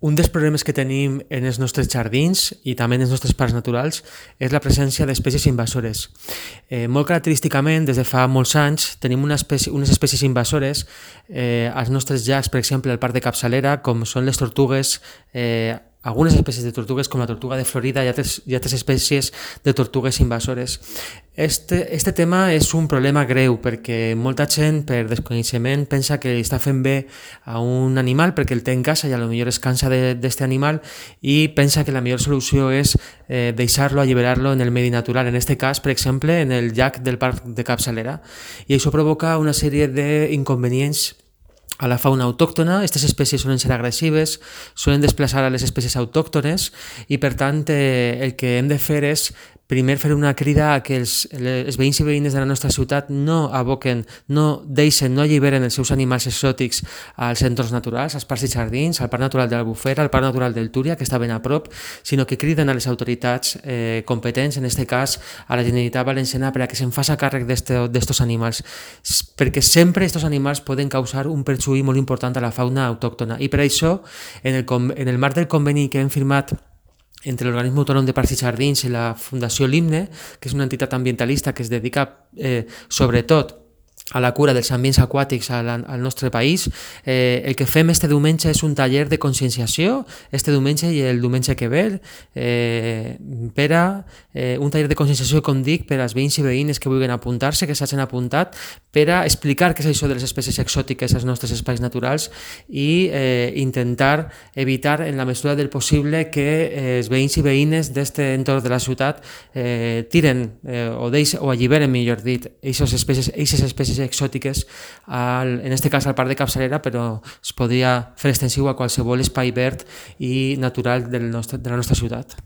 Un dels problemes que tenim en els nostres jardins i també en els nostres parcs naturals és la presència d'espècies invasores. Molt característicament, des de fa molts anys, tenim unes espècies invasores als nostres llacs, per exemple, al parc de Capçalera, com són les tortugues, algunes espècies de tortugues com la tortuga de Florida i altres espècies de tortugues invasores. Este tema és un problema greu perquè molta gent per desconeixement pensa que està fent bé a un animal perquè el té en casa i potser es cansa d'aquest animal i pensa que la millor solució és deixar-lo, alliberar-lo en el medi natural, en aquest cas, per exemple, en el llac del parc de Capçalera. I això provoca una sèrie d'inconvenients a la fauna autòctona. Aquestes espècies solen ser agressives, solen desplaçar a les espècies autòctones i, per tant, el que hem de fer és primer fer una crida a que els veïns i veïnes de la nostra ciutat no aboquen, no deixen, no alliberen els seus animals exòtics als entorns naturals, als parcs i jardins, al Parc Natural de l'Albufera, al Parc Natural del Túria, que està ben a prop, sinó que criden a les autoritats competents, en aquest cas a la Generalitat Valenciana, per a que se'n faci càrrec d'estos animals, perquè sempre aquests animals poden causar un perjuí molt important a la fauna autòctona. I per això, en el marc del conveni que hem firmat entre l'Organisme Autònom de Parcs i Jardins i la Fundació Limne, que és una entitat ambientalista que es dedica sobretot a la cura dels ambients aquàtics al nostre país, el que fem este diumenge és un taller de conscienciació, este diumenge i el diumenge que ve, un taller de conscienciació, com dic, per als veïns i veïnes que vulguin apuntar-se, que s'hagin apuntat, per a explicar què és això de les espècies exòtiques als nostres espais naturals i intentar evitar, en la mesura del possible, que els veïns i veïnes d'aquest entorn de la ciutat tiren o alliberen, millor dit, aquestes espècies exòtiques, en aquest cas al Parc de Capçalera, però es podria fer extensiu a qualsevol espai verd i natural de la nostra ciutat.